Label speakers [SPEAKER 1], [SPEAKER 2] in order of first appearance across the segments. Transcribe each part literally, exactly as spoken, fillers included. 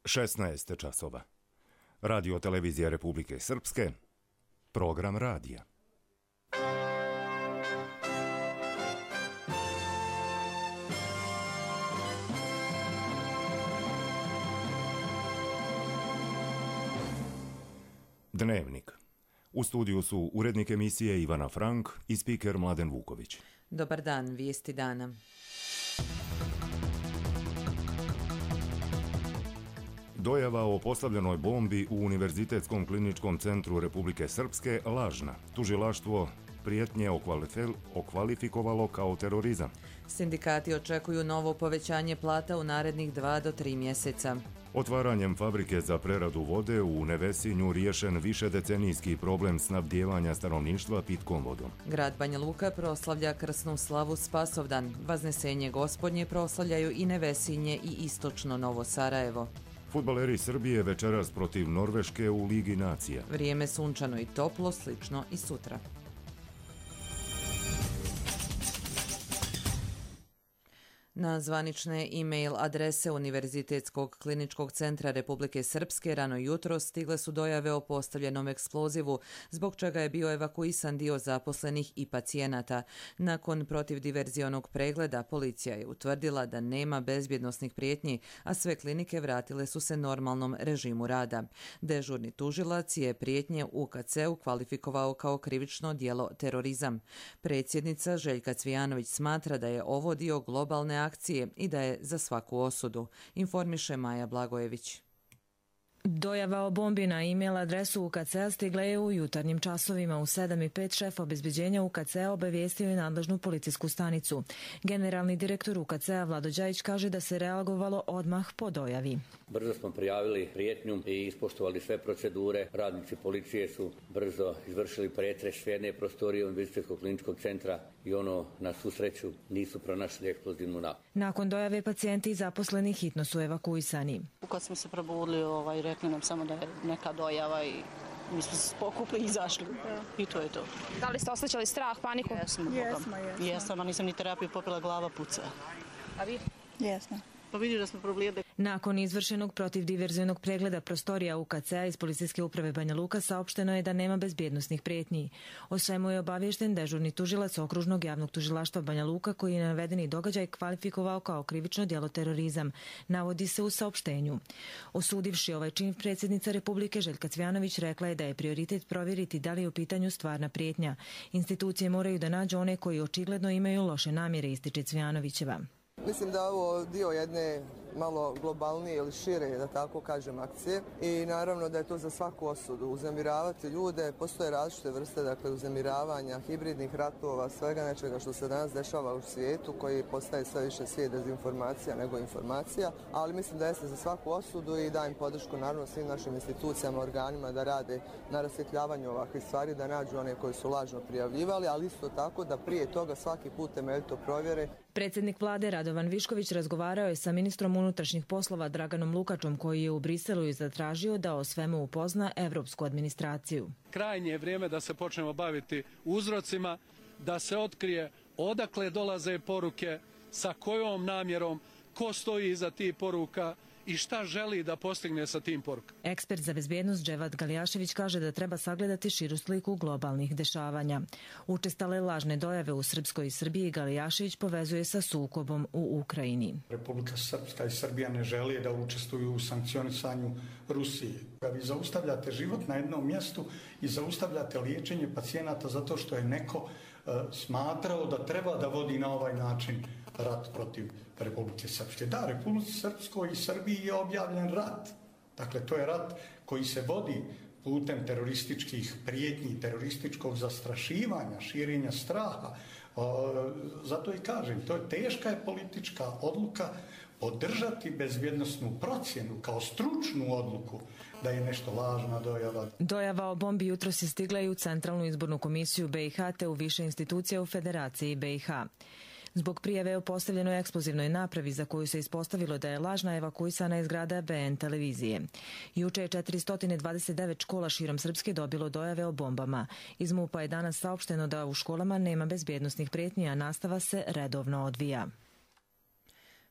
[SPEAKER 1] šesnaest časova. Radio televizija Republike Srpske, program radija. Dnevnik. U studiju su urednik emisije Ivana Frank i spiker Mladen Vuković.
[SPEAKER 2] Dobar dan, vijesti dana.
[SPEAKER 1] Dojava o postavljenoj bombi u Univerzitetskom kliničkom centru Republike Srpske lažna. Tužilaštvo prijetnje okvalifikovalo kao terorizam.
[SPEAKER 2] Sindikati očekuju novo povećanje plata u narednih dva do tri mjeseca.
[SPEAKER 1] Otvaranjem fabrike za preradu vode u Nevesinju riješen višedecenijski problem snabdijevanja stanovništva pitkom vodom.
[SPEAKER 2] Grad Banja Luka proslavlja krsnu slavu Spasovdan. Vaznesenje Gospodnje proslavljaju i Nevesinje i istočno Novo Sarajevo.
[SPEAKER 1] Fudbaleri Srbije večeras protiv Norveške u Ligi nacija.
[SPEAKER 2] Vrijeme sunčano i toplo, slično i sutra. Na zvanične e-mail adrese Univerzitetskog kliničkog centra Republike Srpske rano jutro stigle su dojave o postavljenom eksplozivu, zbog čega je bio evakuisan dio zaposlenih i pacijenata. Nakon protivdiverzionog pregleda policija je utvrdila da nema bezbjednosnih prijetnji, a sve klinike vratile su se normalnom režimu rada. Dežurni tužilac je prijetnje u K C-u kvalifikovao kao krivično djelo terorizam. Predsjednica Željka Cvijanović smatra da je ovo dio globalne akcije i da je za svaku osudu, informiše Maja Blagojević.
[SPEAKER 3] Dojava o bombi na e-mail adresu U K C-a stigla je u jutarnjim časovima. U sedam i pet šef obezbeđenja U K C-a obavijestio je nadležnu policijsku stanicu. Generalni direktor U K C-a Vlado Đajić kaže da se reagovalo odmah po dojavi.
[SPEAKER 4] Brzo smo prijavili prijetnju i ispoštovali sve procedure. Radnici policije su brzo izvršili pretres jedne prostorije Univerzitetskog kliničkog centra i ono, na svu sreću, nisu pronašli eksplozivnu napravu.
[SPEAKER 3] Nakon dojave pacijenti i zaposleni hitno su evakuisani.
[SPEAKER 5] Kad smo se probudili, ovaj, rekli nam samo da je neka dojava i mi smo se pokupili i izašli. I to je to.
[SPEAKER 6] Da li ste osjećali strah, paniku?
[SPEAKER 5] Jesmo. Jesmo, jesmo. Jesam, a nisam ni terapiju popila, glava puca.
[SPEAKER 6] A vi?
[SPEAKER 5] Jesmo. Pa vidi da smo problijede.
[SPEAKER 3] Nakon izvršenog protivdiverzionog pregleda prostorija U K C-a iz Policijske uprave Banja Luka saopšteno je da nema bezbjednosnih prijetnji. O svemu je obaviješten dežurni tužilac Okružnog javnog tužilaštva Banja Luka koji je navedeni događaj kvalifikovao kao krivično djelo terorizam, navodi se u saopštenju. Osudivši ovaj čin, predsjednica Republike Željka Cvijanović rekla je da je prioritet provjeriti da li je u pitanju stvarna prijetnja. Institucije moraju da nađu one koji očigledno imaju loše namjere, ističe Cvijanovićeva.
[SPEAKER 7] Mislim da je ovo dio jedne malo globalnije ili šire, da tako kažem, akcije i naravno da je to za svaku osudu. Uznemiravati ljude, postoje različite vrste, dakle, uznemiravanja, hibridnih ratova, svega nečega što se danas dešava u svijetu koji postaje sve više svijet dezinformacija nego informacija, ali mislim da jeste za svaku osudu i dajem podršku naravno svim našim institucijama, organima da rade na rasvjetljavanju ovakvih stvari, da nađu one koji su lažno prijavljivali, ali isto tako da prije toga svaki put temeljito provjere.
[SPEAKER 3] Predsjednik vlade Radovan Višković razgovarao je sa ministrom unutrašnjih poslova Draganom Lukačom koji je u Briselu i zatražio da o svemu upozna evropsku administraciju.
[SPEAKER 8] Krajnje je vrijeme da se počnemo baviti uzrocima, da se otkrije odakle dolaze poruke, sa kojom namjerom, ko stoji iza tih poruka i šta želi da postigne sa tim porukama.
[SPEAKER 3] Ekspert za bezbjednost Dževad Galijašević kaže da treba sagledati širu sliku globalnih dešavanja. Učestale lažne dojave u Srpskoj i Srbiji Galijašević povezuje sa sukobom u Ukrajini.
[SPEAKER 9] Republika Srpska i Srbija ne želi da učestvuju u sankcionisanju Rusije. Vi zaustavljate život na jednom mjestu i zaustavljate liječenje pacijenata zato što je neko uh, smatrao da treba da vodi na ovaj način rat protiv Republike Srpske. Da, Republike Srpskoj i Srbiji je objavljen rat. Dakle, to je rat koji se vodi putem terorističkih prijetnji, terorističkog zastrašivanja, širenja straha. O, zato i kažem, to je teška je politička odluka podržati bezbjednosnu procjenu kao stručnu odluku da je nešto lažna dojava.
[SPEAKER 3] Dojava o bombi jutros je stigla i u Centralnu izbornu komisiju B i H te u više institucija u Federaciji B i H. Zbog prijave o postavljenoj eksplozivnoj napravi za koju se ispostavilo da je lažna evakuisana iz grada B N televizije. Juče je četiristo dvadeset devet škola širom Srpske dobilo dojave o bombama. Iz MUP-a je danas saopšteno da u školama nema bezbjednosnih prijetnji, a nastava se redovno odvija.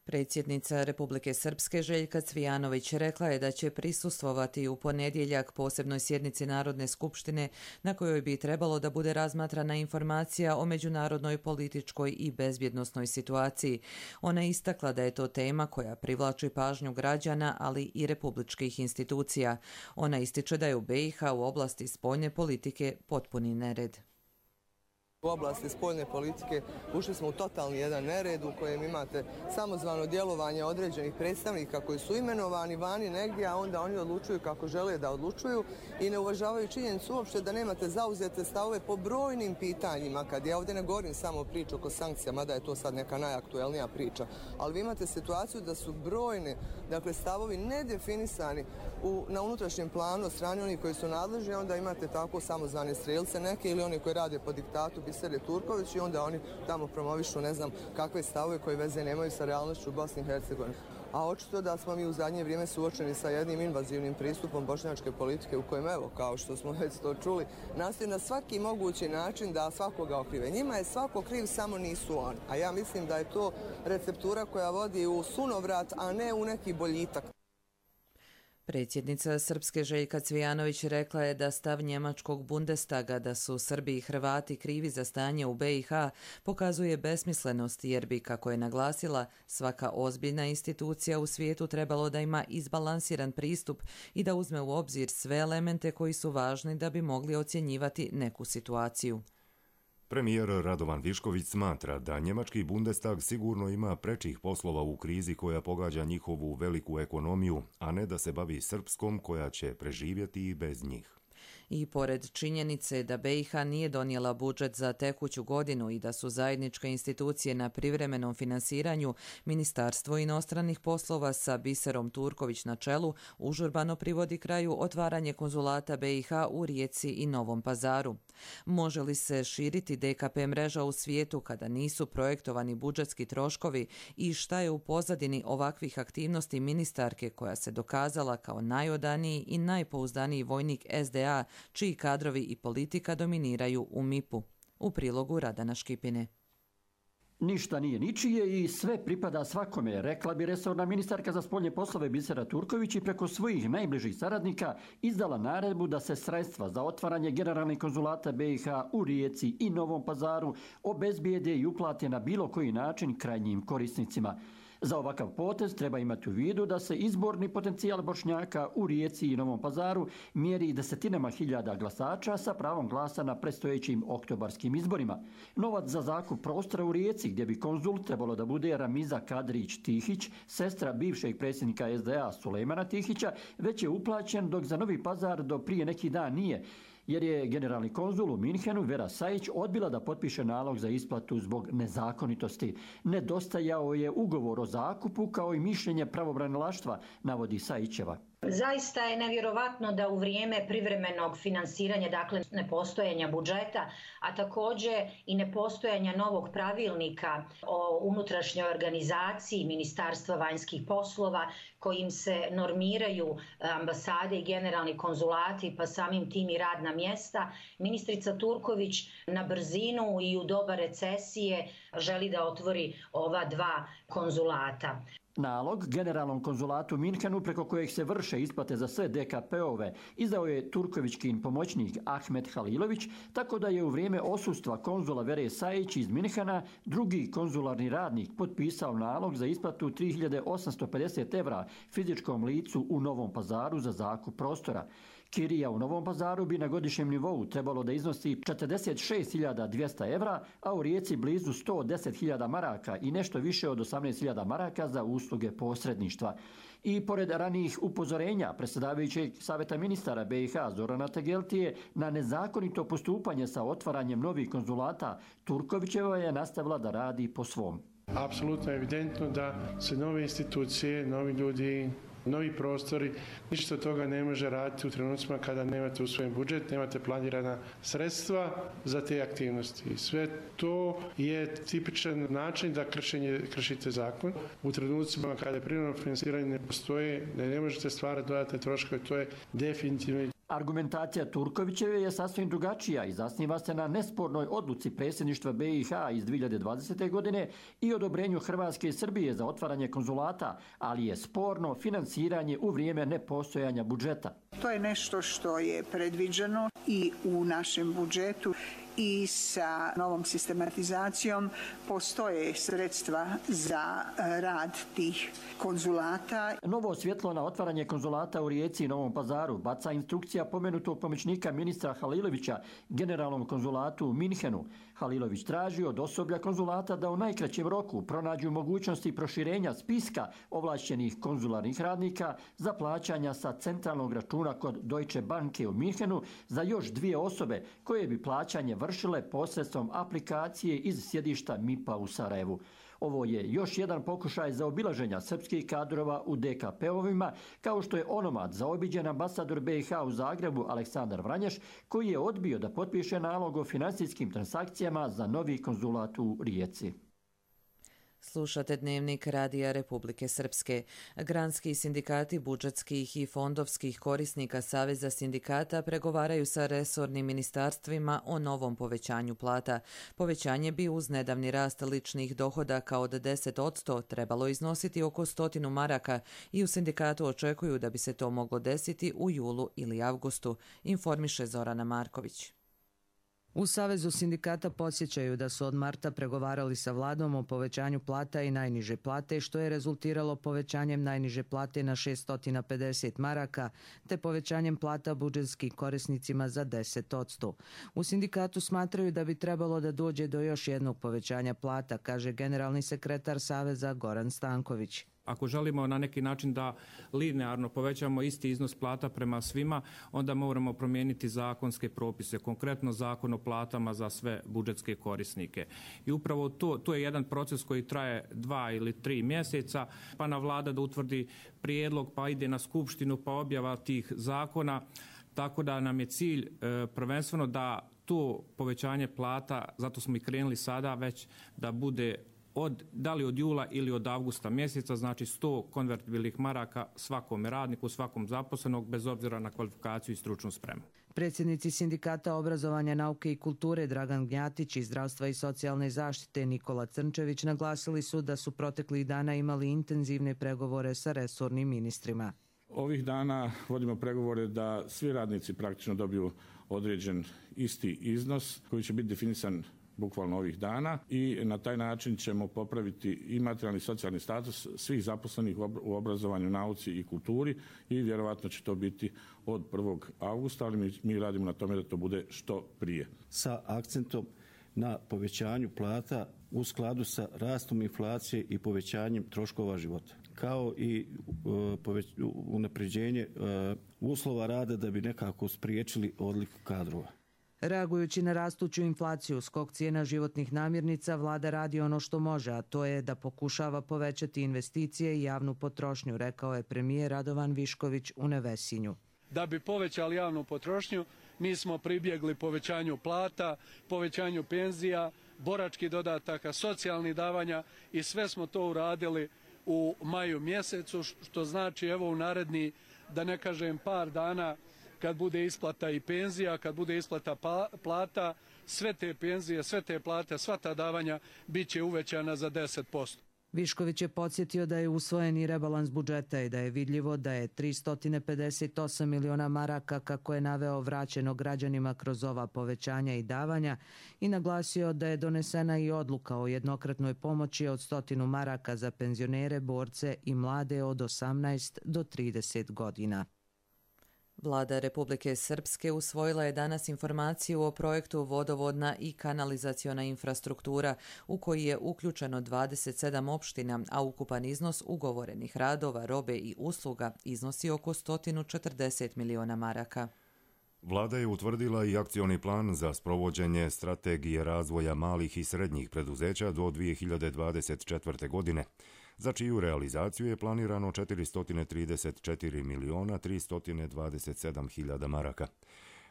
[SPEAKER 2] Predsjednica Republike Srpske Željka Cvijanović rekla je da će prisustvovati u ponedjeljak posebnoj sjednici Narodne skupštine na kojoj bi trebalo da bude razmatrana informacija o međunarodnoj političkoj i bezbjednosnoj situaciji. Ona je istakla da je to tema koja privlači pažnju građana, ali i republičkih institucija. Ona ističe da je u be i ha u oblasti spoljne politike potpuni nered.
[SPEAKER 7] U oblasti spoljne politike ušli smo u totalni jedan nered u kojem imate samozvano djelovanje određenih predstavnika koji su imenovani vani negdje, a onda oni odlučuju kako žele da odlučuju i ne uvažavaju činjenicu uopšte da nemate zauzete stavove po brojnim pitanjima. Kad ja ovdje ne govorim samo o priču oko sankcija, mada je to sad neka najaktuelnija priča, ali vi imate situaciju da su brojni dakle, stavovi nedefinisani u, na unutrašnjem planu od strane onih koji su nadležni, onda imate tako samozvane strelce neke ili oni koji rade po diktatu Bisere Turković i onda oni tamo promovišu ne znam kakve stavove koje veze nemaju sa realnošću u Bosni i Hercegovini. A očito da smo mi u zadnje vrijeme suočeni sa jednim invazivnim pristupom bošnjačke politike u kojem, evo, kao što smo već to čuli, nastoji na svaki mogući način da svakoga okrive. Njima je svako kriv, samo nisu oni. A ja mislim da je to receptura koja vodi u sunovrat, a ne u neki boljitak.
[SPEAKER 2] Predsjednica Srpske Željka Cvijanović rekla je da stav njemačkog Bundestaga da su Srbi i Hrvati krivi za stanje u be i ha pokazuje besmislenost jer bi, kako je naglasila, svaka ozbiljna institucija u svijetu trebalo da ima izbalansiran pristup i da uzme u obzir sve elemente koji su važni da bi mogli ocjenjivati neku situaciju.
[SPEAKER 1] Premijer Radovan Višković smatra da njemački Bundestag sigurno ima prečih poslova u krizi koja pogađa njihovu veliku ekonomiju, a ne da se bavi srpskom koja će preživjeti i bez njih.
[SPEAKER 2] I pored činjenice da be i ha nije donijela budžet za tekuću godinu i da su zajedničke institucije na privremenom finansiranju, Ministarstvo inostranih poslova sa Biserom Turković na čelu užurbano privodi kraju otvaranje konzulata be i ha u Rijeci i Novom Pazaru. Može li se širiti de ka pe mreža u svijetu kada nisu projektovani budžetski troškovi i šta je u pozadini ovakvih aktivnosti ministarke koja se dokazala kao najodaniji i najpouzdaniji vojnik es de a, čiji kadrovi i politika dominiraju u mipu? U prilogu Radana Škipine.
[SPEAKER 10] Ništa nije ničije i sve pripada svakome, rekla bi resorna ministarka za spoljne poslove Bisera Turković i preko svojih najbližih saradnika izdala naredbu da se sredstva za otvaranje generalnih konzulata be i ha u Rijeci i Novom Pazaru obezbijede i uplate na bilo koji način krajnjim korisnicima. Za ovakav potez treba imati u vidu da se izborni potencijal Bošnjaka u Rijeci i Novom Pazaru mjeri desetinama hiljada glasača sa pravom glasa na predstojećim oktobarskim izborima. Novac za zakup prostora u Rijeci, gdje bi konzul trebalo da bude Ramiza Kadrić-Tihić, sestra bivšeg predsjednika es de a Sulejmana Tihića, već je uplaćen, dok za Novi Pazar do prije neki dan nije, jer je generalni konzul u Minhenu Vera Sajić odbila da potpiše nalog za isplatu zbog nezakonitosti. Nedostajao je ugovor o zakupu kao i mišljenje pravobranilaštva, navodi Sajićeva.
[SPEAKER 11] Zaista je nevjerovatno da u vrijeme privremenog finansiranja, dakle nepostojanja budžeta, a također i nepostojanja novog pravilnika o unutrašnjoj organizaciji Ministarstva vanjskih poslova kojim se normiraju ambasade i generalni konzulati, pa samim tim i radna mjesta, ministrica Turković na brzinu i u doba recesije želi da otvori ova dva konzulata.
[SPEAKER 10] Nalog generalnom konzulatu Minhenu, preko kojeg se vrše isplate za sve de ka pe-ove, izdao je Turkovićkin pomoćnik Ahmet Halilović, tako da je u vrijeme osustva konzula Vere Sajić iz Minhena drugi konzularni radnik potpisao nalog za isplatu tri hiljade osamsto pedeset evra fizičkom licu u Novom Pazaru za zakup prostora. Kirija u Novom Pazaru bi na godišnjem nivou trebalo da iznosi četrdeset šest hiljada dvjesto evra, a u Rijeci blizu sto deset hiljada maraka i nešto više od osamnaest hiljada maraka za usluge posredništva. I pored ranijih upozorenja predsjedavajućeg savjeta ministara be i ha Zorana Tegeltije na nezakonito postupanje sa otvaranjem novih konzulata, Turkovićeva je nastavila da radi po svom.
[SPEAKER 12] Apsolutno je evidentno da se nove institucije, novi ljudi, novi prostori, ništa od toga ne može raditi u trenucima kada nemate usvojen budžet, nemate planirana sredstva za te aktivnosti. I sve to je tipičan način da kršenje, kršite zakon. U trenucima kada privremeno finansiranje ne postoje, da ne možete stvarati dodatne troškove, to je definitivno.
[SPEAKER 10] Argumentacija Turkovićeve je sasvim drugačija i zasniva se na nespornoj odluci predsjedništva be i ha iz dvije hiljade dvadesete. godine i odobrenju Hrvatske i Srbije za otvaranje konzulata, ali je sporno finansiranje u vrijeme nepostojanja budžeta.
[SPEAKER 13] To je nešto što je predviđeno i u našem budžetu i sa novom sistematizacijom postoje sredstva za rad tih konzulata.
[SPEAKER 10] Novo svjetlo na otvaranje konzulata u Rijeci i Novom Pazaru baca instrukcija pomenutog pomoćnika ministra Halilovića generalnom konzulatu u Minhenu. Halilović traži od osoblja konzulata da u najkraćem roku pronađu mogućnosti proširenja spiska ovlašćenih konzularnih radnika za plaćanja sa centralnog računa kod Deutsche Banke u Minhenu za još dvije osobe koje bi plaćanje vršile posredstvom aplikacije iz sjedišta M I P-a u Sarajevu. Ovo je još jedan pokušaj zaobilaženja srpskih kadrova u de ka pe-ovima, kao što je onomad zaobiđen ambasador be i ha u Zagrebu Aleksandar Vranješ, koji je odbio da potpiše nalog o financijskim transakcijama za novi konzulat u Rijeci.
[SPEAKER 2] Slušate Dnevnik Radija Republike Srpske. Granski sindikati budžetskih i fondovskih korisnika Saveza sindikata pregovaraju sa resornim ministarstvima o novom povećanju plata. Povećanje bi uz nedavni rast ličnih dohodaka od deset posto trebalo iznositi oko stotinu maraka i u sindikatu očekuju da bi se to moglo desiti u julu ili avgustu, informiše Zorana Marković.
[SPEAKER 14] U Savezu sindikata podsjećaju da su od marta pregovarali sa vladom o povećanju plata i najniže plate, što je rezultiralo povećanjem najniže plate na šesto pedeset maraka, te povećanjem plata budžetskim korisnicima za deset posto. U sindikatu smatraju da bi trebalo da dođe do još jednog povećanja plata, kaže generalni sekretar Saveza Goran Stanković.
[SPEAKER 15] Ako želimo na neki način da linearno povećamo isti iznos plata prema svima, onda moramo promijeniti zakonske propise, konkretno zakon o platama za sve budžetske korisnike. I upravo to, to je jedan proces koji traje dva ili tri mjeseca, pa na vlada da utvrdi prijedlog, pa ide na skupštinu, pa objava tih zakona. Tako da nam je cilj e, prvenstveno da to povećanje plata, zato smo i krenuli sada već, da bude od, da li od jula ili od avgusta mjeseca, znači sto konvertibilnih maraka svakom radniku, svakom zaposlenog, bez obzira na kvalifikaciju i stručnu spremu.
[SPEAKER 14] Predsjednici sindikata obrazovanja, nauke i kulture Dragan Gnjatić i zdravstva i socijalne zaštite Nikola Crnčević naglasili su da su proteklih dana imali intenzivne pregovore sa resornim ministrima.
[SPEAKER 16] Ovih dana vodimo pregovore da svi radnici praktično dobiju određen isti iznos koji će biti definisan bukvalno ovih dana i na taj način ćemo popraviti i materijalni i socijalni status svih zaposlenih u obrazovanju, nauci i kulturi i vjerovatno će to biti od prvog avgusta, ali mi, mi radimo na tome da to bude što prije.
[SPEAKER 17] Sa akcentom na povećanju plata u skladu sa rastom inflacije i povećanjem troškova života, kao i uh, unapređenje uh, uslova rada da bi nekako spriječili odliv kadrova.
[SPEAKER 14] Reagujući na rastuću inflaciju, skok cijena životnih namirnica, vlada radi ono što može, a to je da pokušava povećati investicije i javnu potrošnju, rekao je premijer Radovan Višković u Nevesinju.
[SPEAKER 8] Da bi povećali javnu potrošnju, mi smo pribjegli povećanju plata, povećanju penzija, boračkih dodataka, socijalnih davanja i sve smo to uradili u maju mjesecu, što znači evo u naredni, da ne kažem par dana, kad bude isplata i penzija, kad bude isplata plata, sve te penzije, sve te plate, sva ta davanja bit će uvećana za deset posto.
[SPEAKER 14] Višković je podsjetio da je usvojen i rebalans budžeta i da je vidljivo da je tristo pedeset osam miliona maraka, kako je naveo, vraćeno građanima kroz ova povećanja i davanja i naglasio da je donesena i odluka o jednokratnoj pomoći od stotinu maraka za penzionere, borce i mlade od osamnaest do trideset godina.
[SPEAKER 2] Vlada Republike Srpske usvojila je danas informaciju o projektu vodovodna i kanalizaciona infrastruktura u koji je uključeno dvadeset sedam opština, a ukupan iznos ugovorenih radova, robe i usluga iznosi oko sto četrdeset miliona maraka.
[SPEAKER 1] Vlada je utvrdila i akcioni plan za sprovođenje strategije razvoja malih i srednjih preduzeća do dvije hiljade dvadeset četvrte. godine, za čiju realizaciju je planirano četiristo trideset četiri miliona tristo dvadeset sedam hiljada maraka.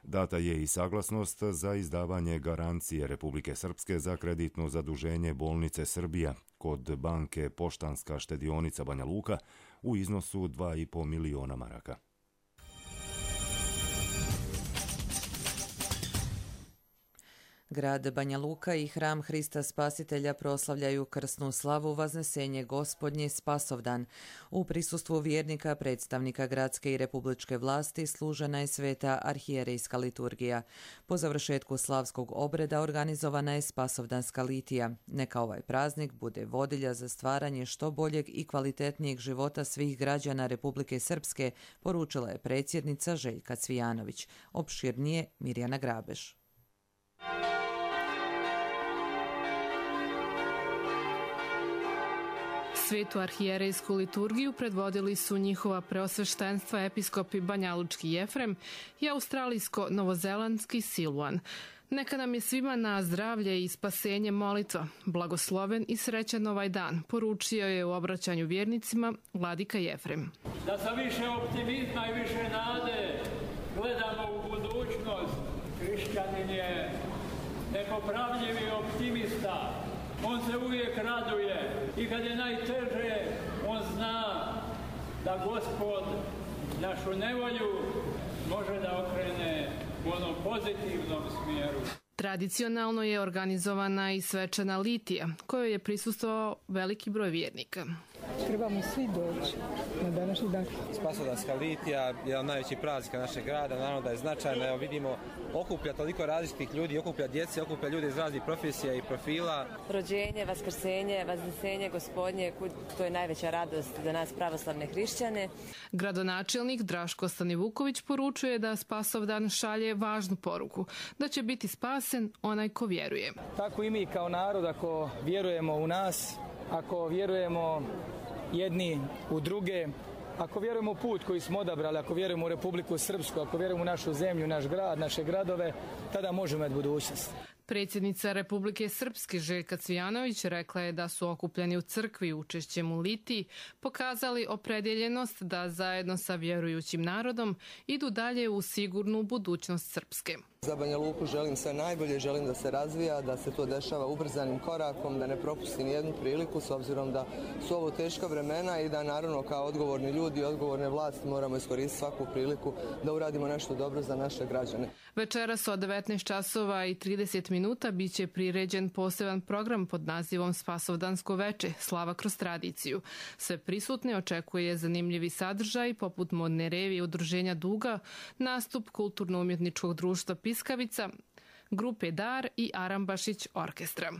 [SPEAKER 1] Data je i saglasnost za izdavanje garancije Republike Srpske za kreditno zaduženje bolnice Srbija kod banke Poštanska štedionica Banja Luka u iznosu dva i po miliona maraka.
[SPEAKER 2] Grad Banja Luka i Hram Hrista Spasitelja proslavljaju krsnu slavu Vaznesenje Gospodnje Spasovdan. U prisustvu vjernika, predstavnika gradske i republičke vlasti služena je sveta arhijerejska liturgija. Po završetku slavskog obreda organizovana je Spasovdanska litija. Neka ovaj praznik bude vodilja za stvaranje što boljeg i kvalitetnijeg života svih građana Republike Srpske, poručila je predsjednica Željka Cvijanović. Opširnije Mirjana Grabeš.
[SPEAKER 18] Svetu arhijerejsku liturgiju predvodili su njihova preosveštenstva episkopi Banjalučki Jefrem i australijsko-novozelandski Silvan. Neka nam je svima na zdravlje i spasenje molitva, blagosloven i srećan ovaj dan, poručio je u obraćanju vjernicima vladika Jefrem.
[SPEAKER 19] Da sa više optimizma i više nade gledamo u budućnost, hrišćanin je nepopravljivi optimista. On se uvijek raduje i kad je najteže, on zna da Gospod našu nevolju može da okrene u onom pozitivnom smjeru.
[SPEAKER 18] Tradicionalno je organizovana i svečana litija, kojoj je prisustvovao veliki broj vjernika.
[SPEAKER 20] Trebamo svi doći na današnji dan.
[SPEAKER 21] Spasovdanska litija je jedan najveći praznika našeg grada, naravno da je značajna. Evo vidimo, okuplja toliko različitih ljudi, okuplja djece, okuplja ljude iz raznih profesija i profila.
[SPEAKER 22] Rođenje, vaskrsenje, vaznesenje Gospodnje, to je najveća radost za nas pravoslavne hrišćane.
[SPEAKER 18] Gradonačelnik Draško Stanivuković poručuje da Spasovdan šalje važnu poruku, da će biti spasen onaj ko vjeruje.
[SPEAKER 23] Tako i mi kao narod, ako vjerujemo u nas, ako vjerujemo jedni u druge, ako vjerujemo u put koji smo odabrali, ako vjerujemo u Republiku Srpsku, ako vjerujemo u našu zemlju, naš grad, naše gradove, tada možemo imati budućnost.
[SPEAKER 18] Predsjednica Republike Srpske Željka Cvijanović rekla je da su okupljeni u crkvi učešćem u litiji pokazali opredjeljenost da zajedno sa vjerujućim narodom idu dalje u sigurnu budućnost Srpske.
[SPEAKER 7] Za Banja Luku želim sve najbolje, želim da se razvija, da se to dešava ubrzanim korakom, da ne propusti nijednu priliku s obzirom da su ovo teška vremena i da naravno kao odgovorni ljudi i odgovorne vlasti moramo iskoristiti svaku priliku da uradimo nešto dobro za naše građane.
[SPEAKER 18] Večeras od devetnaest časova i trideset minuta bit će priređen poseban program pod nazivom Spasovdansko veče, slava kroz tradiciju. Sve prisutne očekuje zanimljivi sadržaj poput modne revije udruženja Duga, nastup kulturno-umjetničkog društva Piskavica, grupe Dar i Arambašić orkestra.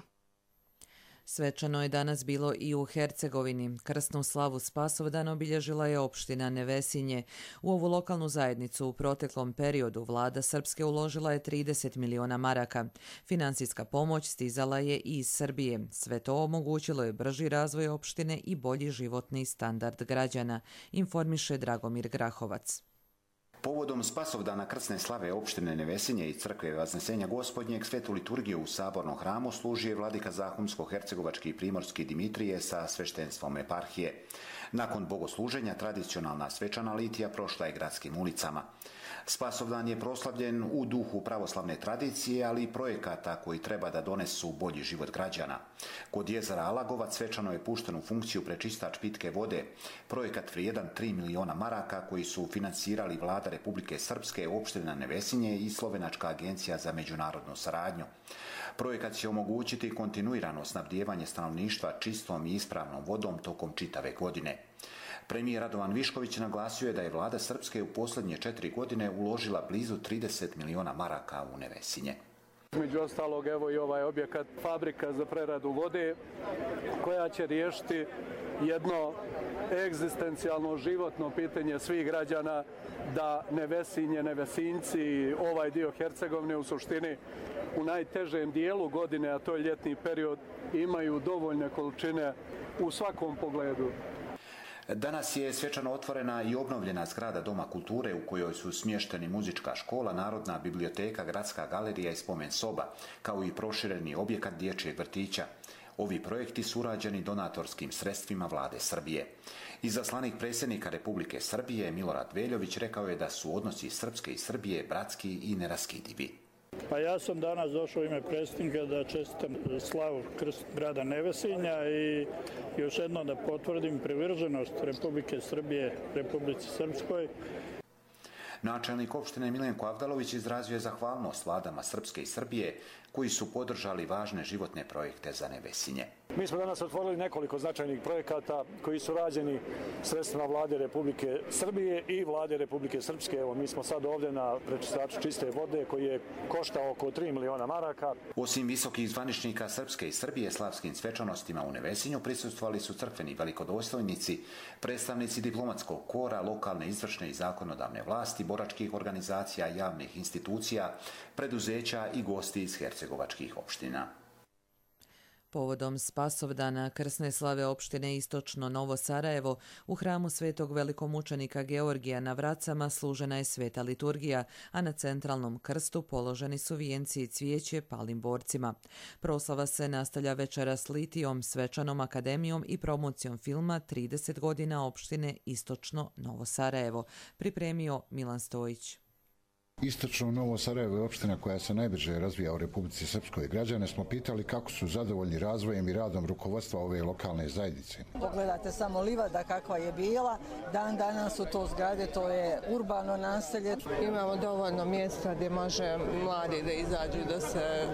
[SPEAKER 2] Svečano je danas bilo i u Hercegovini. Krsnu slavu Spasovdan obilježila je opština Nevesinje. U ovu lokalnu zajednicu u proteklom periodu vlada Srpske uložila je trideset miliona maraka. Finansijska pomoć stizala je i iz Srbije. Sve to omogućilo je brži razvoj opštine i bolji životni standard građana, informiše Dragomir Grahovac.
[SPEAKER 24] Povodom Spasovdana krsne slave opštine Nevesinje i crkve Vaznesenja Gospodnjeg svetu liturgiju u Sabornom hramu služi je vladika Zahumsko-hercegovački i primorski Dimitrije sa sveštenstvom eparhije. Nakon bogosluženja tradicionalna svečana litija prošla je gradskim ulicama. Spasovdan je proslavljen u duhu pravoslavne tradicije, ali i projekata koji treba da donesu bolji život građana. Kod jezera Alagovac svečano je pušten u funkciju prečistač pitke vode, projekat vrijedan tri miliona maraka koji su finansirali vlada Republike Srpske, opština Nevesinje i Slovenačka agencija za međunarodnu saradnju. Projekat će omogućiti kontinuirano snabdijevanje stanovništva čistom i ispravnom vodom tokom čitave godine. Premijer Radovan Višković naglasio je da je vlada Srpske u posljednje četiri godine uložila blizu trideset miliona maraka u Nevesinje.
[SPEAKER 8] Među ostalog, evo i ovaj objekat, fabrika za preradu vode, koja će riješiti jedno egzistencijalno životno pitanje svih građana da Nevesinje, Nevesinci, ovaj dio Hercegovine u suštini u najtežem dijelu godine, a to je ljetni period, imaju dovoljne količine u svakom pogledu.
[SPEAKER 24] Danas je svečano otvorena i obnovljena zgrada Doma kulture u kojoj su smješteni muzička škola, Narodna biblioteka, Gradska galerija i spomen soba, kao i prošireni objekat dječjeg vrtića. Ovi projekti su urađeni donatorskim sredstvima vlade Srbije. Izaslanik predsjednika Republike Srbije Milorad Veljović rekao je da su odnosi Srpske i Srbije bratski i neraskidivi.
[SPEAKER 25] Pa ja sam danas došao u ime predsjednika da čestitam slavu grada Nevesinja i još jedno da potvrdim privrženost Republike Srbije Republici Srpskoj.
[SPEAKER 24] Načelnik opštine Milenko Avdalović izrazio je zahvalnost vladama Srpske i Srbije koji su podržali važne životne projekte za Nevesinje.
[SPEAKER 25] Mi smo danas otvorili nekoliko značajnih projekata koji su rađeni sredstvima vlade Republike Srbije i vlade Republike Srpske. Evo, mi smo sad ovdje na prečistaču čiste vode koji je koštao oko tri miliona maraka.
[SPEAKER 24] Osim visokih zvaničnika Srpske i Srbije slavskim svečanostima u Nevesinju prisustvovali su crkveni velikodostojnici, predstavnici diplomatskog kora, lokalne izvršne i zakonodavne vlasti, boračkih organizacija, javnih institucija, preduzeća i gosti iz hercegovačkih opština.
[SPEAKER 2] Povodom Spasovdana krsne slave opštine Istočno Novo Sarajevo u hramu svetog velikomučenika Georgija na Vracama služena je sveta liturgija, a na centralnom krstu položeni su vijenci i cvijeće palim borcima. Proslava se nastavlja večeras litijom, svečanom akademijom i promocijom filma trideset godina opštine Istočno Novo Sarajevo, pripremio Milan Stojić.
[SPEAKER 3] Istočno Novo Sarajevo je opština koja se najbrže razvija u Republici Srpskoj. Građane smo pitali kako su zadovoljni razvojem i radom rukovodstva ove lokalne zajednice.
[SPEAKER 4] Pogledajte samo livada kakva je bila, dan danas su to zgrade, to je urbano naselje.
[SPEAKER 5] Imamo dovoljno mjesta gdje može mladi da izađu, da se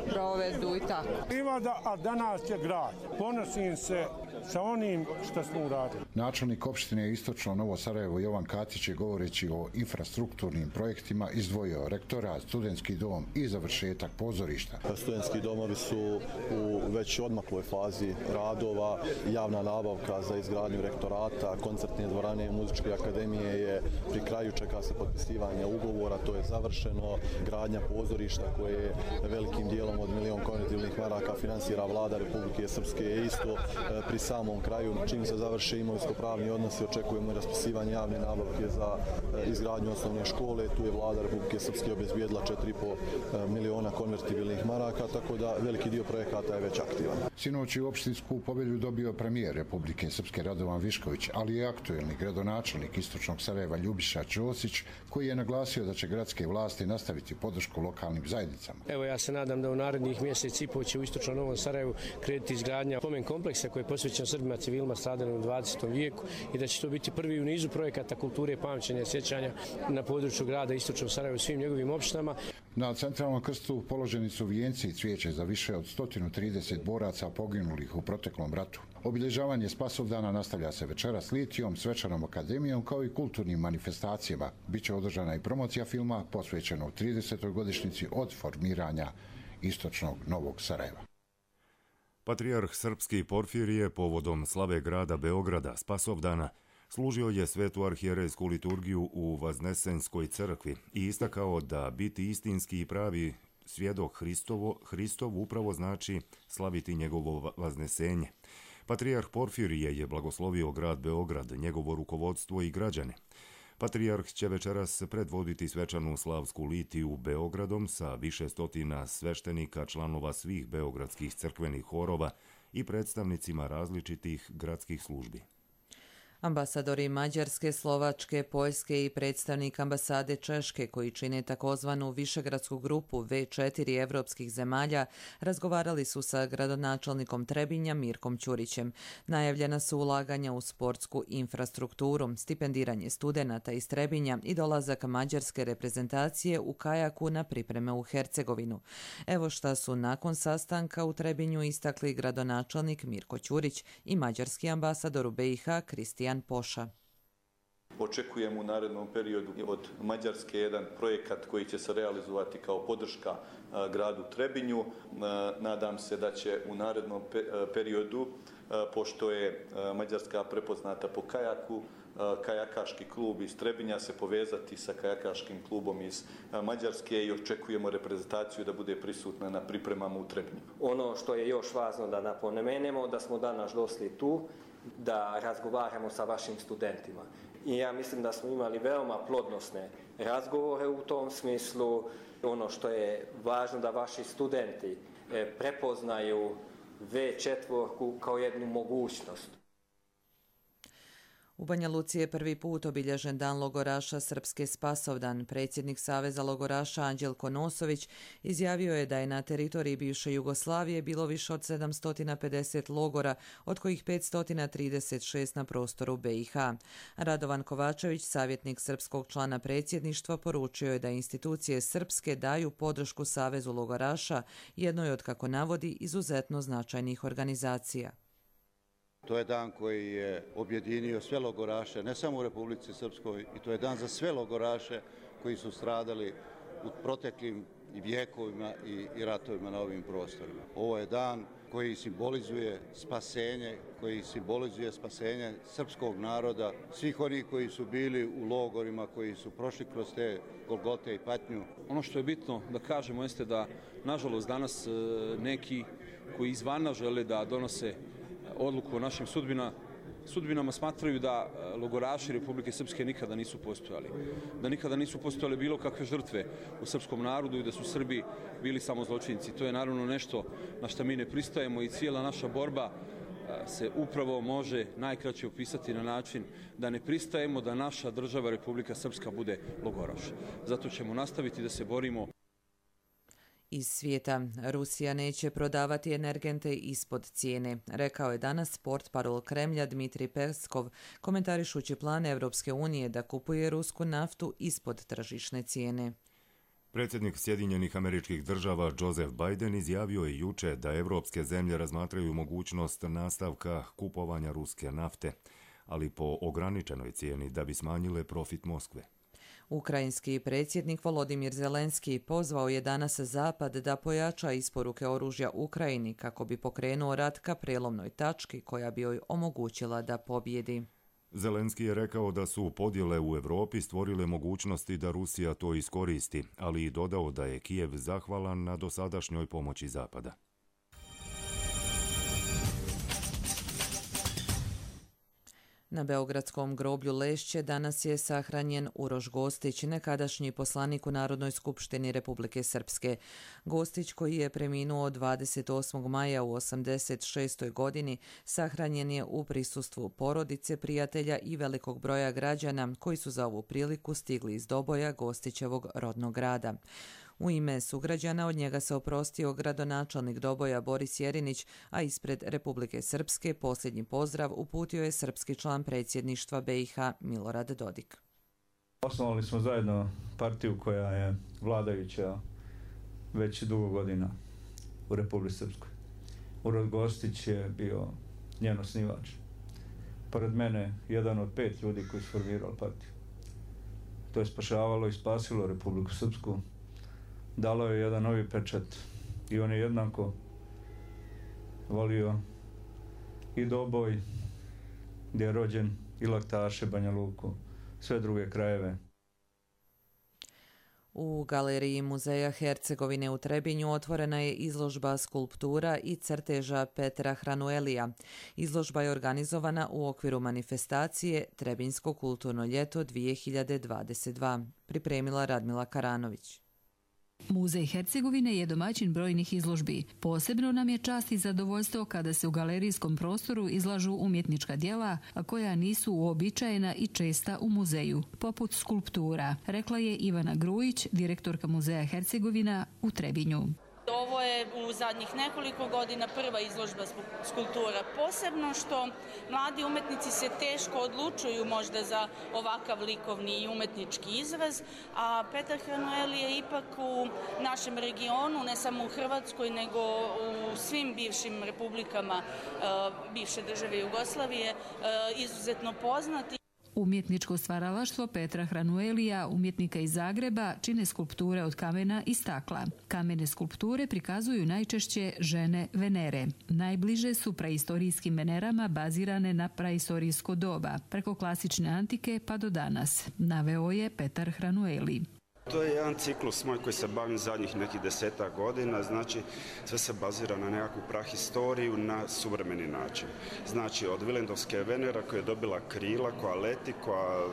[SPEAKER 5] provedu i tako.
[SPEAKER 6] Livada, a danas je grad. Ponosim se sa onim što smo uradili.
[SPEAKER 3] Načelnik opštine Istočno Novo Sarajevo Jovan Katić je govoreći o infrastrukturnim projektima izdvojio rektorat, studentski dom i završetak pozorišta.
[SPEAKER 9] Studentski domovi su u već odmakloj fazi radova, javna nabavka za izgradnju rektorata, koncertne dvorane i muzičke akademije je pri kraju, čeka se potpisivanje ugovora, to je završeno, gradnja pozorišta koje velikim dijelom od milion konvertibilnih maraka finansira vlada Republike Srpske je isto pri samom kraju. Čim se završe imovinsko-pravni odnosi, očekujemo raspisivanje javne nabavke za izgradnju osnovne škole, tu je vlada Republike Srpske obezbijedila četiri i po miliona konvertibilnih maraka, tako da veliki dio projekata je već aktivan.
[SPEAKER 3] Sinoć je opštinsku pobjedu dobio premijer Republike Srpske Radovan Višković, ali i aktuelni gradonačelnik Istočnog Sarajeva Ljubiša Ćosić, koji je naglasio da će gradske vlasti nastaviti podršku lokalnim zajednicama.
[SPEAKER 26] Evo, ja se nadam da u narednih mjesec i po će u Istočnom Novom Sarajevu krenuti izgradnja spomen kompleksa koji je posvećen Srbima civilima stradalim u dvadesetom vijeku i da će to biti prvi u nizu projekata kulture, pamćenja i sjećanja na području grada Istočnog Sarajeva u svim njegovim opštinama.
[SPEAKER 3] Na centralnom krstu položeni su vijenci i cvijeće za više od sto trideset boraca poginulih u proteklom ratu. Obilježavanje Spasovdana nastavlja se večeras litijom, svečanom akademijom kao i kulturnim manifestacijama. Biće održana i promocija filma posvećenog tridesetoj godišnjici od formiranja Istočnog Novog Sarajeva.
[SPEAKER 1] Patrijarh srpski Porfirije povodom slave grada Beograda Spasovdana služio je svetu arhijerejsku liturgiju u Vaznesenskoj crkvi i istakao da biti istinski i pravi svjedok Hristovo, Hristov upravo znači slaviti njegovo vaznesenje. Patrijarh Porfirije je blagoslovio grad Beograd, njegovo rukovodstvo i građane. Patrijarh će večeras predvoditi svečanu slavsku litiju Beogradom sa više stotina sveštenika, članova svih beogradskih crkvenih horova i predstavnicima različitih gradskih službi.
[SPEAKER 2] Ambasadori Mađarske, Slovačke, Poljske i predstavnik ambasade Češke, koji čine takozvanu višegradsku grupu ve četiri evropskih zemalja, razgovarali su sa gradonačelnikom Trebinja Mirkom Ćurićem. Najavljena su ulaganja u sportsku infrastrukturu, stipendiranje studenata iz Trebinja i dolazak mađarske reprezentacije u kajaku na pripreme u Hercegovinu. Evo šta su nakon sastanka u Trebinju istakli gradonačelnik Mirko Ćurić i mađarski ambasador u be i ha Kristijan Poša.
[SPEAKER 27] Očekujemo u narednom periodu od Mađarske jedan projekat koji će se realizovati kao podrška gradu Trebinju. Nadam se da će u narednom periodu, pošto je Mađarska prepoznata po kajaku, kajakaški klub iz Trebinja se povezati sa kajakaškim klubom iz Mađarske i očekujemo reprezentaciju da bude prisutna na pripremama u Trebinju.
[SPEAKER 28] Ono što je još važno da napomenemo, da smo danas došli tu da razgovaramo sa vašim studentima. I ja mislim da smo imali veoma plodnosne razgovore u tom smislu. Ono što je važno da vaši studenti prepoznaju ve četiri kao jednu mogućnost.
[SPEAKER 2] U Banja Luci je prvi put obilježen dan logoraša Srpske Spasovdan. Predsjednik Saveza logoraša Anđelko Nosović izjavio je da je na teritoriji bivše Jugoslavije bilo više od sedamsto pedeset logora, od kojih petsto trideset šest na prostoru B i H. Radovan Kovačević, savjetnik srpskog člana predsjedništva, poručio je da institucije srpske daju podršku Savezu logoraša, jednoj od, kako navodi, izuzetno značajnih organizacija.
[SPEAKER 10] To je dan koji je objedinio sve logoraše, ne samo u Republici Srpskoj, i to je dan za sve logoraše koji su stradali u proteklim vijekovima i, i ratovima na ovim prostorima. Ovo je dan koji simbolizuje spasenje, koji simbolizuje spasenje srpskog naroda, svih onih koji su bili u logorima, koji su prošli kroz te golgote i patnju.
[SPEAKER 11] Ono što je bitno da kažemo jeste da, nažalost, danas neki koji izvana žele da donose odluku o našim sudbina, sudbinama smatraju da logoraši Republike Srpske nikada nisu postojali. Da nikada nisu postojale bilo kakve žrtve u srpskom narodu i da su Srbi bili samo zločinci. To je naravno nešto na što mi ne pristajemo i cijela naša borba se upravo može najkraće opisati na način da ne pristajemo da naša država Republika Srpska bude logoraš. Zato ćemo nastaviti da se borimo.
[SPEAKER 2] Iz svijeta, Rusija neće prodavati energente ispod cijene, rekao je danas portparol Kremlja Dmitrij Peskov, komentarišući plan Evropske unije da kupuje rusku naftu ispod tržišne cijene.
[SPEAKER 1] Predsjednik Sjedinjenih Američkih Država Joseph Biden izjavio je juče da evropske zemlje razmatraju mogućnost nastavka kupovanja ruske nafte, ali po ograničenoj cijeni da bi smanjile profit Moskve.
[SPEAKER 2] Ukrajinski predsjednik Volodimir Zelenski pozvao je danas Zapad da pojača isporuke oružja Ukrajini kako bi pokrenuo rat ka prelomnoj tački koja bi joj omogućila da pobjedi.
[SPEAKER 1] Zelenski je rekao da su podjele u Europi stvorile mogućnosti da Rusija to iskoristi, ali i dodao da je Kijev zahvalan na dosadašnjoj pomoći Zapada.
[SPEAKER 2] Na beogradskom groblju Lešće danas je sahranjen Uroš Gostić, nekadašnji poslanik u Narodnoj skupštini Republike Srpske. Gostić, koji je preminuo dvadeset osmog maja u osamdeset šestoj godini, sahranjen je u prisustvu porodice, prijatelja i velikog broja građana koji su za ovu priliku stigli iz Doboja, Gostićevog rodnog grada. U ime sugrađana od njega se oprostio gradonačelnik Doboja Boris Jerinić, a ispred Republike Srpske posljednji pozdrav uputio je srpski član predsjedništva B i H Milorad Dodik.
[SPEAKER 12] Osnovali smo zajedno partiju koja je vladajuća već dugo godina u Republici Srpskoj. Uroš Gostić je bio njen osnivač. Pored mene jedan od pet ljudi koji su formirali partiju. To je spašavalo i spasilo Republiku Srpsku. Dalo je jedan novi pečat i on je jednako volio i Doboj, gdje je rođen, i Laktaše, Banja Luku, sve druge krajeve.
[SPEAKER 2] U galeriji Muzeja Hercegovine u Trebinju otvorena je izložba skulptura i crteža Petra Hranuelija. Izložba je organizovana u okviru manifestacije Trebinjsko kulturno ljeto dvije hiljade dvadeset dva. Pripremila Radmila Karanović.
[SPEAKER 13] Muzej Hercegovine je domaćin brojnih izložbi. Posebno nam je čast i zadovoljstvo kada se u galerijskom prostoru izlažu umjetnička djela, a koja nisu uobičajena i česta u muzeju, poput skulptura, rekla je Ivana Grujić, direktorka Muzeja Hercegovina u Trebinju.
[SPEAKER 14] Ovo je u zadnjih nekoliko godina prva izložba skulptura, posebno što mladi umetnici se teško odlučuju možda za ovakav likovni i umetnički izraz, a Petar Hranueli je ipak u našem regionu, ne samo u Hrvatskoj, nego u svim bivšim republikama bivše države Jugoslavije, izuzetno poznati.
[SPEAKER 13] Umjetničko stvaralaštvo Petra Hranuelija, umjetnika iz Zagreba, čine skulpture od kamena i stakla. Kamene skulpture prikazuju najčešće žene Venere. Najbliže su praistorijskim Venerama bazirane na praistorijsko doba, preko klasične antike pa do danas, naveo je Petar Hranueli.
[SPEAKER 15] To je jedan ciklus moj koji se bavim zadnjih nekih desetak godina, znači sve se bazira na nekakvu prahistoriju na suvremeni način. Znači od Vilendovske Venera koja je dobila krila, koja leti, koja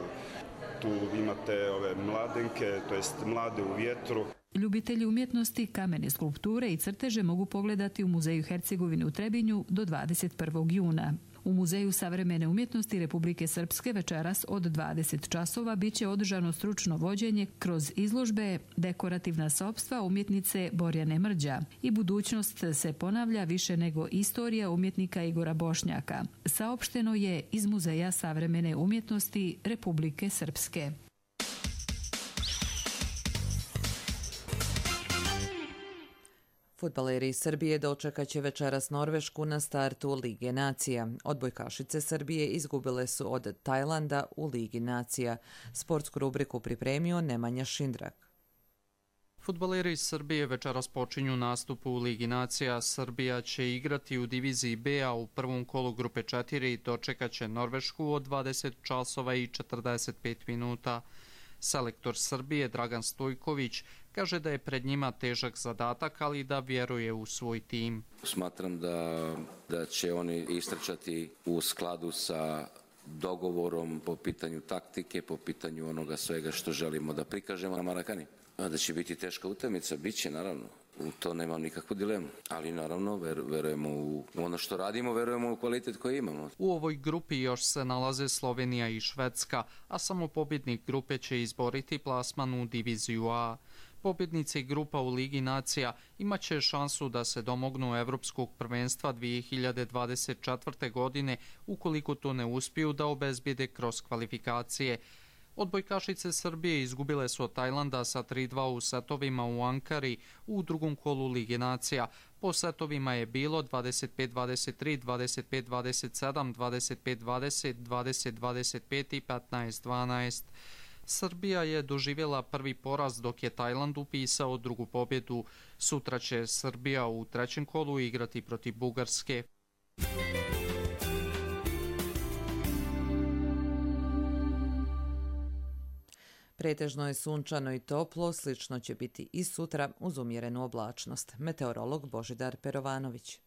[SPEAKER 15] tu imate ove mladenke, to jest mlade u vjetru.
[SPEAKER 13] Ljubitelji umjetnosti, kamene skulpture i crteže mogu pogledati u Muzeju Hercegovine u Trebinju do dvadeset prvog juna. U Muzeju savremene umjetnosti Republike Srpske večeras od dvadeset časova biće održano stručno vođenje kroz izložbe Dekorativna sopstva umjetnice Borjane Mrđa i budućnost se ponavlja više nego istorija umjetnika Igora Bošnjaka. Saopšteno je iz Muzeja savremene umjetnosti Republike Srpske.
[SPEAKER 2] Fudbaleri iz Srbije dočekat će večeras Norvešku na startu Lige nacija. Odbojkašice Srbije izgubile su od Tajlanda u Ligi nacija. Sportsku rubriku pripremio Nemanja Šindrak.
[SPEAKER 7] Fudbaleri iz Srbije večeras počinju nastup u Ligi nacija. Srbija će igrati u diviziji B, a u prvom kolu grupe četiri dočekat će Norvešku od dvadeset časova i četrdeset pet minuta. Selektor Srbije Dragan Stojković kaže da je pred njima težak zadatak, ali da vjeruje u svoj tim.
[SPEAKER 16] Smatram da, da će oni istrčati u skladu sa dogovorom po pitanju taktike, po pitanju onoga svega što želimo da prikažemo na Marakani. Da će biti teška utakmica, bit će naravno. U to nemam nikakvu dilemu, ali naravno ver, verujemo u ono što radimo, verujemo u kvalitet koji imamo.
[SPEAKER 7] U ovoj grupi još se nalaze Slovenija i Švedska, a samo pobjednik grupe će izboriti plasman u diviziju A. Pobjednici grupa u Ligi nacija imat će šansu da se domognu Evropskog prvenstva dvije hiljade dvadeset četvrte. godine ukoliko to ne uspiju da obezbijede kroz kvalifikacije. Odbojkašice Srbije izgubile su od Tajlanda sa tri dva u setovima u Ankari u drugom kolu Lige nacija. Po setovima je bilo dvadeset pet dvadeset tri, dvadeset pet dvadeset sedam, dvadeset pet dvadeset, dvadeset dvadeset pet i petnaest dvanaest. Srbija je doživjela prvi poraz dok je Tajland upisao drugu pobjedu. Sutra će Srbija u trećem kolu igrati protiv Bugarske.
[SPEAKER 2] Pretežno je sunčano i toplo, slično će biti i sutra uz umjerenu oblačnost. Meteorolog Božidar Perovanović.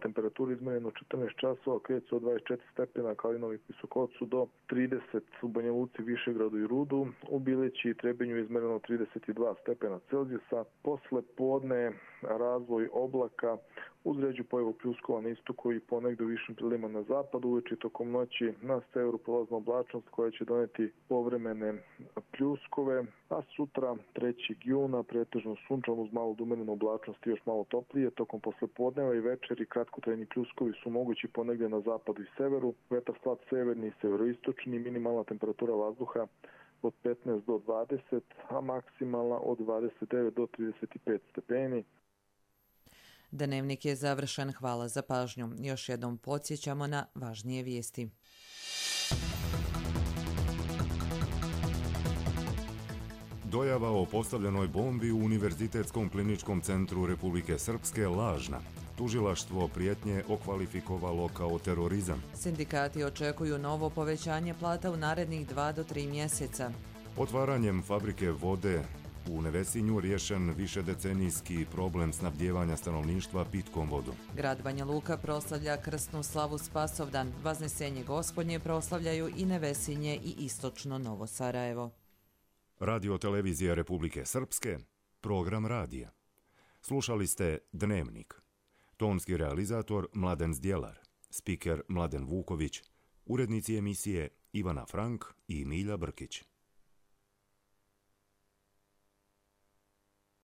[SPEAKER 17] Temperaturu izmjereno četrnaest časova, kreće od dvadeset četiri stepena, kao i Novi Visokovcu do trideset u Banja Luci, Višegradu i Rudu. U Bileći i Trebinju izmjereno trideset dva stepena Celzijusa. Posle podne razvoj oblaka uz ređu pojavu pljuskova na istoku i ponegde u višim prilima na zapadu. Uveče tokom noći na severu prolazna oblačnost koja će doneti povremene pljuskove, a sutra trećeg juna pretežno sunčano uz malo umerenu oblačnost i još malo toplije. Tokom poslepodneva i večeri kratkotrajni pljuskovi su mogući ponegde na zapadu i severu. Vetar slab severni i severoistočni, minimalna temperatura vazduha od petnaest do dvadeset, a maksimalna od dvadeset devet do trideset pet stepeni.
[SPEAKER 2] Dnevnik je završen, hvala za pažnju. Još jednom podsjećamo na važnije vijesti.
[SPEAKER 1] Dojava o postavljenoj bombi u Univerzitetskom kliničkom centru Republike Srpske lažna. Tužilaštvo prijetnje okvalifikovalo kao terorizam.
[SPEAKER 2] Sindikati očekuju novo povećanje plata u narednih dva do tri mjeseca.
[SPEAKER 1] Otvaranjem fabrike vode u Nevesinju riješen višedecenijski problem snabdijevanja stanovništva pitkom vodom.
[SPEAKER 2] Grad Banja Luka proslavlja krsnu slavu Spasovdan. Vaznesenje Gospodnje proslavljaju i Nevesinje i istočno Novo Sarajevo.
[SPEAKER 1] Radio televizija Republike Srpske, program radija. Slušali ste Dnevnik. Tonski realizator Mladen Zdjelar, spiker Mladen Vuković, urednici emisije Ivana Frank i Milja Brkić.